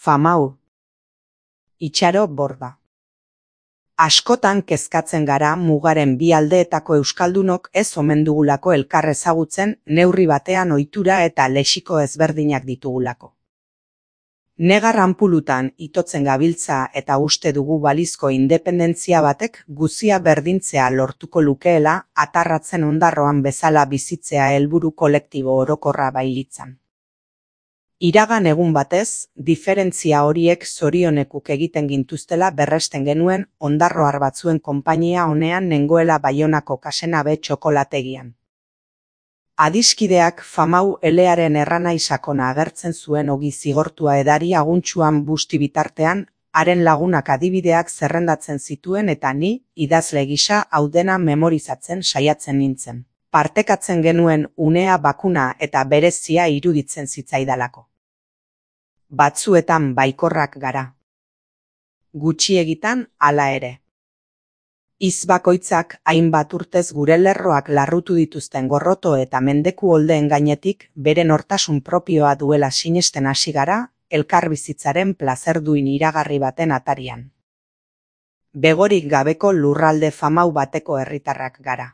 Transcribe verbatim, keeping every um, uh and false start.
Famau. Itxaro Borda. Askotan kezkatzen gara mugaren bi aldeetako euskaldunok ez omen dugulako elkar ezagutzen, neurri batean ohitura eta lexiko ezberdinak ditugulako. Negar anpulutan itotzen gabiltza eta uste dugu balizko independentzia batek guzia berdintzea lortuko lukeela, atarratzen ondarroan bezala bizitzea helburu kolektibo orokorra bailitzan. Iragan egun batez, diferentzia horiek zorionekuk egiten gintuztela berresten genuen ondarroar batzuen konpainia honean nengoela Baionako Kasenabe txokolategian. Adiskideak Famau elearen erranai sakona agertzen zuen ogi zigortua edari aguntsuan busti bitartean, haren lagunak adibideak zerrendatzen zituen eta ni, idazle gisa, hau dena memorizatzen saiatzen nintzen. Partekatzen genuen unea bakuna eta berezia iruditzen zitzaidalako. Batzuetan baikorrak gara. Gutxiegitan hala ere. Hitz bakoitzak hainbat urtez gure lerroak larrutu dituzten gorroto eta mendeku oldeen gainetik bere nortasun propioa duela sinesten hasi gara, elkarbizitzaren plazerduin iragarri baten atarian. Begorik gabeko lurralde famau bateko herritarrak gara.